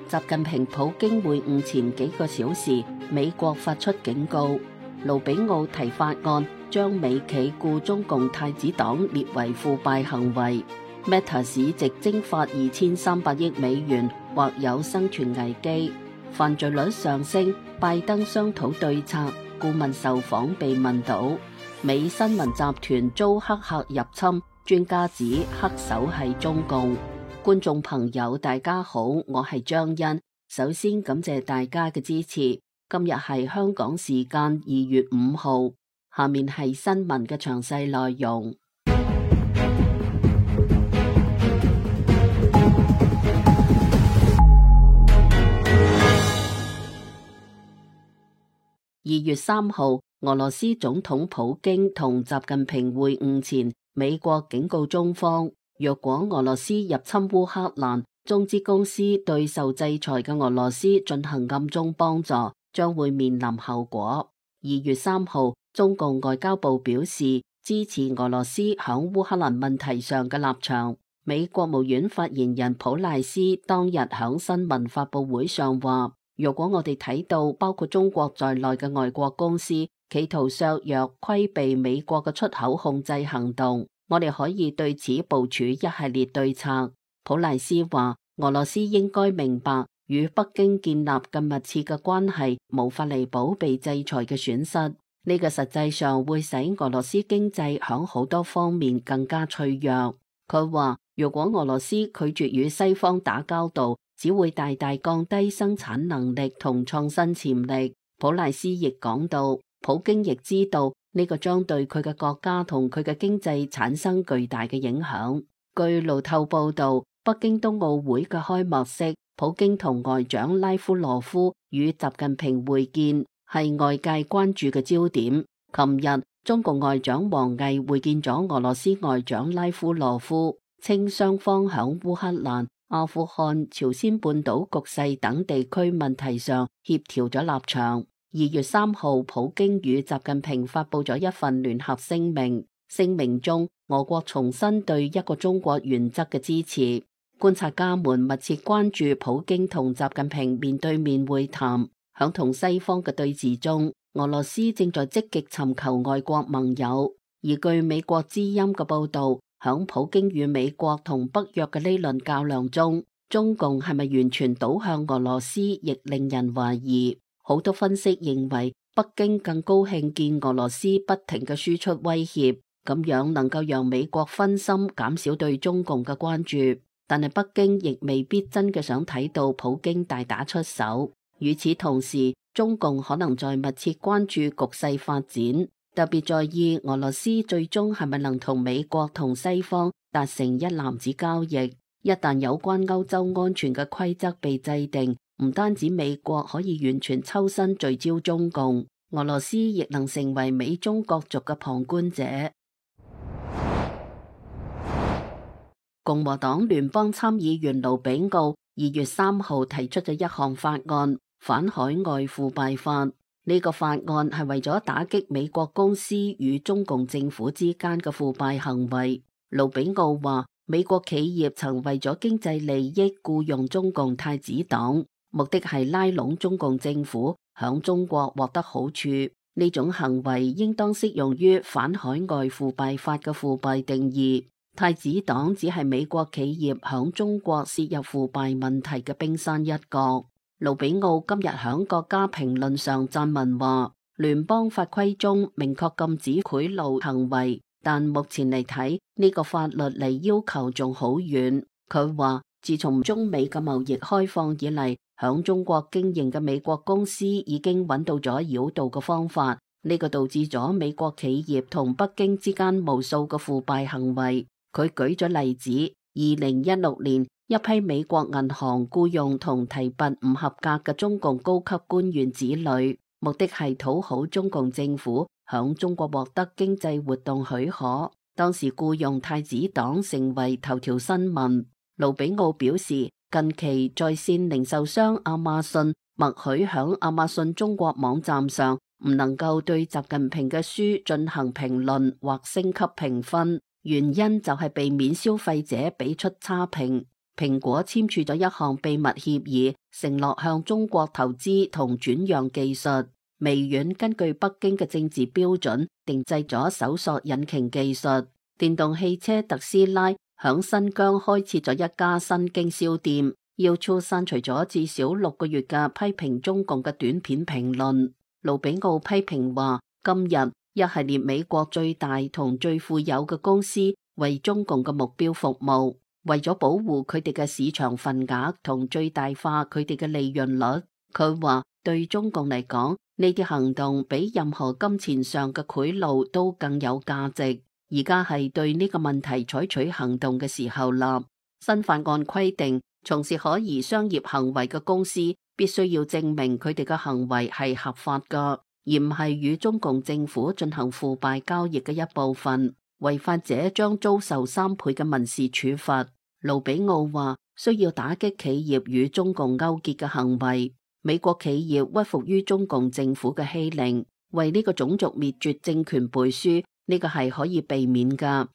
習近平普京會晤前幾個小時，美國發出警告，盧比奧提法案將美企雇中共太子黨列為腐敗行為。Meta 市值蒸發2300億美元，或有生存危機。犯罪率上升，拜登商討對策。顧問受訪被問到美新聞集團遭黑客入侵，專家指黑手係中共。觀眾朋友大家好，我係張欣，首先感謝大家嘅支持。今日係香港時間2月5號，下面係新聞嘅詳細內容。2月3號，俄羅斯總統普京同習近平會晤前，美國警告中方，若果俄羅斯入侵烏克蘭，中資公司對受制裁嘅俄羅斯進行暗中幫助，將會面臨後果。2月3號，中共外交部表示支持俄羅斯響烏克蘭問題上嘅立場。美國務院發言人普賴斯當日響新聞發佈會上話，如果我哋睇到包括中國在內嘅外國公司企圖削弱、規避美國嘅出口控制行動，我哋可以對此部署一系列對策。普賴斯話，俄羅斯應該明白，與北京建立更密切嘅關係無法彌補被制裁嘅損失，呢個實際上會使俄羅斯經濟響好多方面更加脆弱。佢話，如果俄羅斯拒絕與西方打交道，只會大大降低生產能力同創新潛力。普賴斯亦講到，普京亦知道呢個將對佢嘅國家同佢嘅經濟產生巨大嘅影響。據路透報道，北京冬奧會嘅開幕式，普京同外長拉夫羅夫與習近平會見，係外界關注嘅焦點。琴日，中共外長王毅會見咗俄羅斯外長拉夫羅夫，稱雙方響烏克蘭、阿富汗、朝鮮半島局勢等地區問題上協調咗立場。2月3號，普京與習近平發佈咗一份聯合聲明，聲明中俄國重申對一個中國原則嘅支持。觀察家們密切關注普京同習近平面對面會談，響同西方嘅對峙中，俄羅斯正在積極尋求外國盟友。而據美國之音嘅報道，響普京與美國同北約嘅呢輪較量中，中共係咪完全倒向俄羅斯，亦令人懷疑。好多分析認為，北京更高興見俄羅斯不停嘅輸出威脅，咁樣能夠讓美國分心，減少對中共嘅關注。但係北京亦未必真嘅想睇到普京大打出手。與此同時，中共可能在密切關注局勢發展，特別在意俄羅斯最終係咪能同美國同西方達成一籃子交易。一旦有關歐洲安全嘅規則被制定，唔單止美國可以完全抽身聚焦中共，俄羅斯亦能成為美中角逐嘅旁觀者。共和黨聯邦參議員盧比奧2月3號提出咗一項法案，反海外腐敗法。呢個法案係為咗打擊美國公司與中共政府之間嘅腐敗行為。盧比奧話，美國企業曾為咗經濟利益僱傭中共太子黨，目的係拉攏中共政府響中國獲得好處。呢種行為應當適用於反海外腐敗法嘅腐敗定義。太子黨只係美國企業響中國涉入腐敗問題嘅冰山一角。盧比奧今日響國家評論上撰文話，聯邦法規中明確禁止賄賂行為，但目前嚟睇，呢個法律離要求仲好遠。佢話，自從中美嘅貿易開放以嚟，響中國經營嘅美國公司已經揾到咗繞道嘅方法，呢個導致咗美國企業同北京之間無數嘅腐敗行為。佢舉咗例子，2016年一批美國銀行僱用同提拔唔合格嘅中共高級官員子女，目的係討好中共政府響中國獲得經濟活動許可。當時僱用太子黨成為頭條新聞。盧比奧表示，近期在線零售商亞馬遜默許響亞馬遜中國網站上唔能夠對習近平嘅書進行評論或升級評分。原因就係避免消費者俾出差評。蘋果簽署咗一項秘密協議，承諾向中國投資同轉讓技術。微軟根據北京嘅政治標準，定製咗搜索引擎技術。電動汽車特斯拉響新疆開設咗一家新經銷店。YouTube 刪除咗至少6個月嘅批評中共嘅短片評論。盧比奧批評話，今日一系列美國最大同最富有嘅公司為中共嘅目標服務，為咗保護佢哋嘅市場份額同最大化佢哋嘅利潤率。佢話對中共嚟講，呢啲行動比任何金錢上嘅賄賂都更有價值。而家係對呢個問題採取行動嘅時候啦。新法案規定，從事可疑商業行為嘅公司必須要證明佢哋嘅行為係合法㗎，而唔係與中共政府進行腐敗交易嘅一部分。違法者將遭受3倍嘅民事處罰。盧比奧話，需要打擊企業與中共勾結嘅行為。美國企業屈服於中共政府嘅欺凌，為呢個種族滅絕政權背書，呢個係可以避免㗎。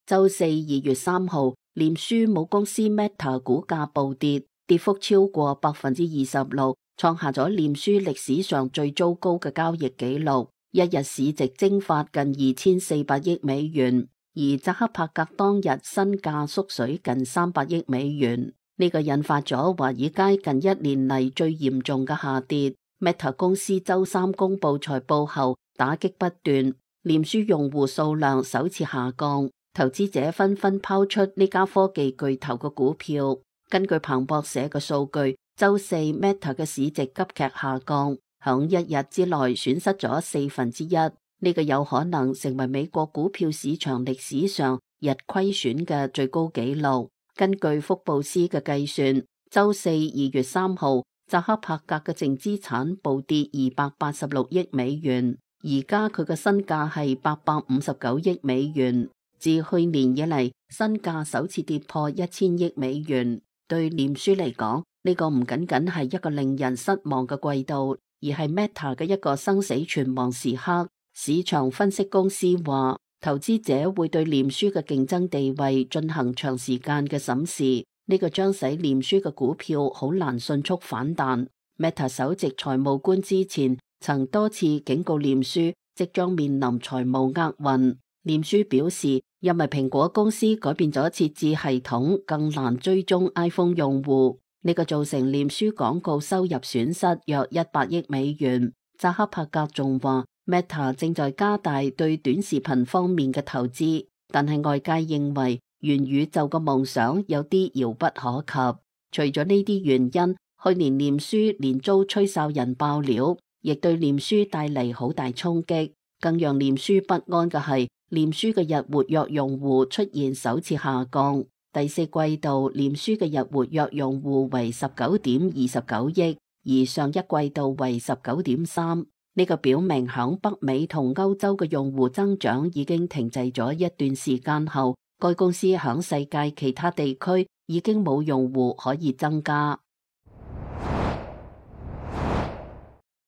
周四2月3號，臉書母公司 Meta 股價暴跌，跌幅超過26%，創下咗臉書歷史上最糟糕嘅交易紀錄，一日市值蒸發近2400億美元，而扎克伯格當日身價縮水近300億美元。呢個引發咗華爾街近1年嚟最嚴重嘅下跌。Meta 公司周三公布財報後，打擊不斷，臉書用戶數量首次下降，投資者紛紛拋出呢家科技巨頭嘅股票。根據彭博社嘅數據，周四 Meta 嘅市值急劇下降，響1日之內損失咗1/4。呢個有可能成為美國股票市場歷史上日虧損嘅最高紀錄。根據福布斯嘅計算，周四2月3號，扎克伯格嘅淨資產暴跌286億美元，而家佢嘅身價係859億美元，自去年以嚟身價首次跌破1000億美元。對臉書嚟講，呢個唔僅僅係一個令人失望嘅季度，而係 Meta 嘅一個生死存亡時刻。市場分析公司話，投資者會對臉書嘅競爭地位進行長時間嘅審視，呢個將使臉書嘅股票好難迅速反彈。Meta 首席財務官之前曾多次警告臉書即將面臨財務厄運。臉書表示，因為蘋果公司改變咗設置系統，更難追蹤 iPhone 用戶，呢個造成臉書廣告收入損失約100億美元。扎克伯格仲話，Meta 正在加大對短視頻方面嘅投資，但係外界認為元宇宙嘅夢想有啲遙不可及。除咗呢啲原因，去年臉書連遭吹哨人爆料，亦對臉書帶嚟好大衝擊。更讓臉書不安嘅係，臉書嘅日活躍用戶出現首次下降。第四季度臉書嘅日活躍用戶為19.29億，而上一季度為19.3。呢個表明響北美同歐洲嘅用戶增長已經停滯咗一段時間後，該公司響世界其他地區已經冇用戶可以增加。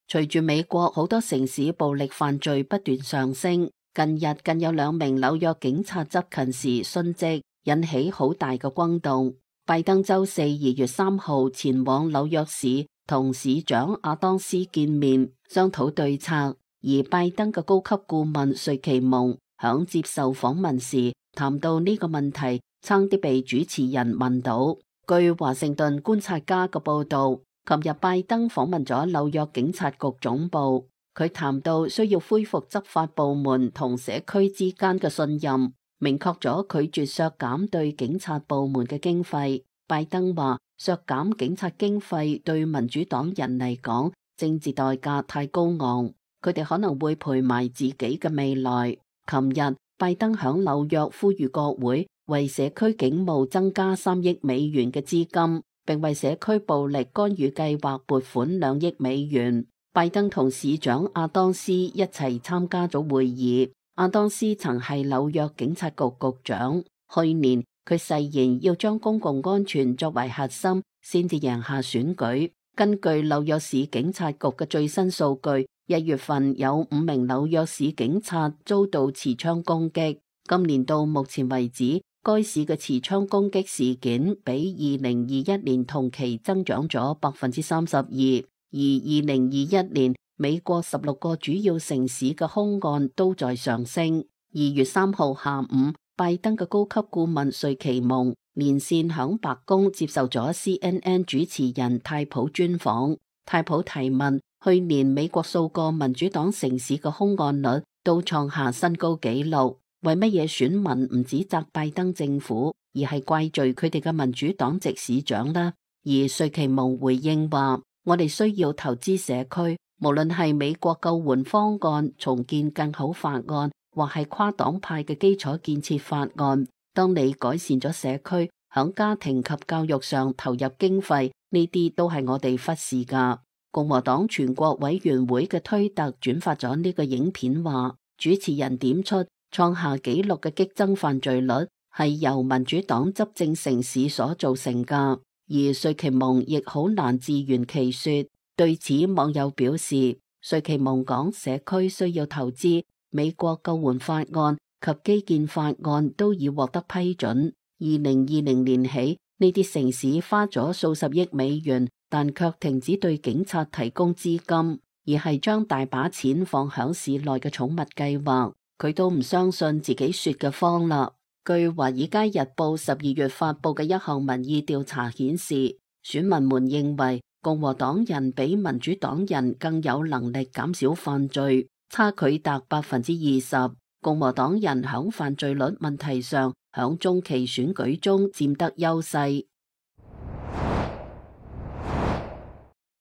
隨住美國好多城市暴力犯罪不斷上升，近日更有2名紐約警察執勤時殉職，引起好大嘅轟動。拜登周四2月3號前往紐約市同市長阿當斯見面，商討對策。而拜登嘅高級顧問瑞奇蒙響接受訪問時談到呢個問題，差啲被主持人問到。據華盛頓觀察家嘅報道，琴日拜登訪問咗紐約警察局總部，佢談到需要恢復執法部門同社區之間嘅信任，明確咗拒絕削減對警察部門嘅經費。拜登話，削減警察經費對民主黨人嚟講，政治代價太高昂，佢哋可能會賠埋自己嘅未來。琴日拜登響紐約呼籲國會為社區警務增加3億美元嘅資金，並為社區暴力干預計劃撥款2億美元。拜登同市長阿當斯一齊參加咗會議。阿當斯曾係紐約警察局局長，去年佢誓言要將公共安全作為核心，先至贏下選舉。根據紐約市警察局嘅最新數據，1月份有5名紐約市警察遭到持槍攻擊，今年到目前為止，該市嘅持槍攻擊事件比2021年同期增長咗32%，而2021年美國16個主要城市嘅兇案都在上升。2月3號下午，拜登嘅高級顧問瑞奇蒙連線響白宮接受咗 CNN 主持人泰普專訪。泰普提問：去年美國數個民主黨城市嘅兇案率都創下新高紀錄，為乜嘢選民唔指責拜登政府，而係怪罪佢哋嘅民主黨籍市長呢？而瑞奇蒙回應話：我哋需要投資社區，無論係美國救援方案、重建更好法案，或係跨黨派嘅基礎建設法案。當你改善咗社區，響家庭及教育上投入經費，呢啲都係我哋忽視噶。共和黨全國委員會嘅推特轉發咗呢個影片，話主持人點出創下紀錄嘅激增犯罪率係由民主黨執政城市所造成噶。而瑞奇蒙亦好難自圓其說。對此，網友表示，瑞奇蒙講社區需要投資，美國救援法案及基建法案都已獲得批准。2020年起，呢啲城市花咗數十億美元，但卻停止對警察提供資金，而係將大把錢放響市內嘅寵物計劃。佢都唔相信自己說嘅謊啦。據《華爾街日報》12月發佈嘅一項民意調查顯示，選民們認為共和黨人比民主黨人更有能力減少犯罪，差距達20%。共和黨人響犯罪率問題上，響中期選舉中佔得優勢。《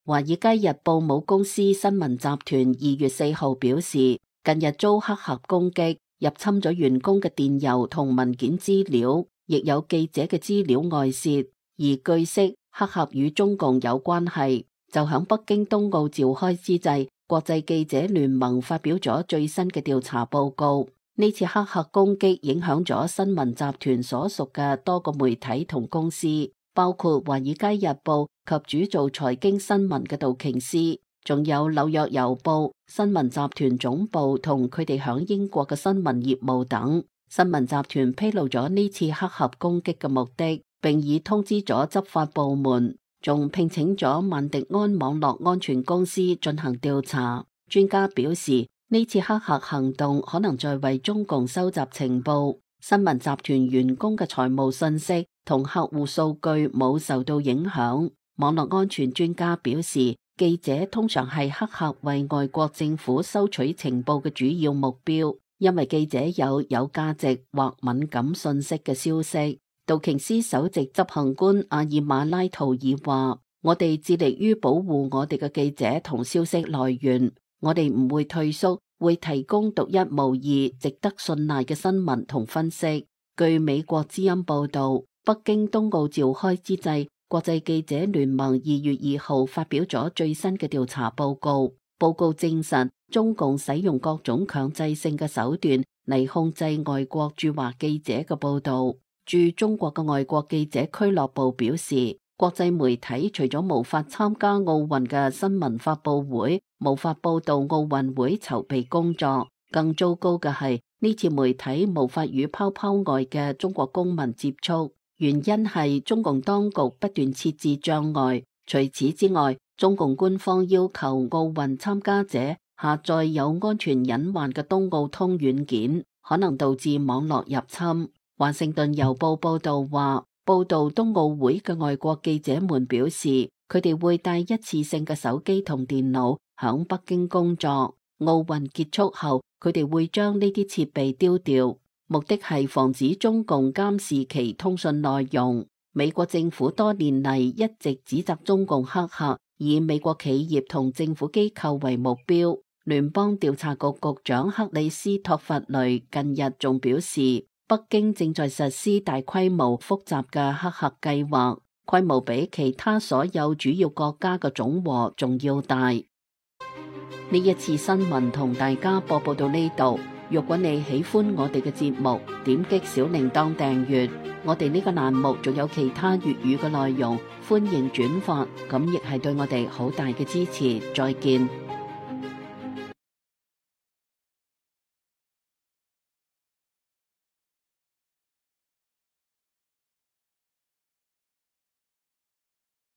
華爾街日報》母公司新聞集團2月4號表示，近日遭黑客攻擊，入侵咗員工嘅電郵同文件資料，亦有記者嘅資料外洩。而據悉，黑客與中共有關係。就響北京冬奧召開之際，國際記者聯盟發表咗最新嘅調查報告。呢次黑客攻擊影響咗新聞集團所屬嘅多個媒體同公司，包括《華爾街日報》及主做財經新聞嘅道瓊斯，仲有《紐約郵報》、新聞集團總部同佢哋響英國嘅新聞業務等。新聞集團披露咗呢次黑客攻擊嘅目的，並已通知咗執法部門，仲聘請咗萬迪安網絡安全公司進行調查。專家表示，呢次黑客行動可能在為中共收集情報。新聞集團員工嘅財務信息同客戶數據冇受到影響。網絡安全專家表示，記者通常係黑客為外國政府收取情報嘅主要目標，因為記者有價值或敏感信息嘅消息。道瓊斯首席執行官阿爾馬拉圖爾話：我哋致力於保護我哋嘅記者同消息來源，我哋唔會退縮，會提供獨一無二、值得信賴嘅新聞同分析。據美國之音報道，北京冬奧召開之際，國際記者聯盟2月2號發表咗最新嘅調查報告。報告證實，中共使用各種強制性嘅手段嚟控制外國駐華記者嘅報道。駐中國嘅外國記者俱樂部表示，國際媒體除咗無法參加奧運嘅新聞發佈會，無法報道奧運會籌備工作，更糟糕嘅係呢次媒體無法與泡泡外嘅中國公民接觸，原因係中共當局不斷設置障礙。除此之外，中共官方要求奧運參加者下載有安全隱患嘅冬奧通軟件，可能導致網絡入侵。華盛頓郵報報道話，報道冬奧會嘅外國記者們表示，佢哋會帶一次性嘅手機同電腦響北京工作。奧運結束後，佢哋會將呢啲設備丟掉，目的係防止中共監視其通訊內容。美國政府多年嚟一直指責中共黑客以美國企業同政府機構為目標。聯邦調查局局長克里斯托弗雷近日仲表示，北京正在實施大規模複雜嘅黑客計劃，規模比其他所有主要國家嘅總和仲要大。呢一次新聞同大家播報到呢度。如果你喜歡我哋嘅節目，點擊小鈴鐺訂閱。我哋呢個欄目仲有其他粵語嘅內容，歡迎轉發，咁亦係對我哋好大嘅支持。再見。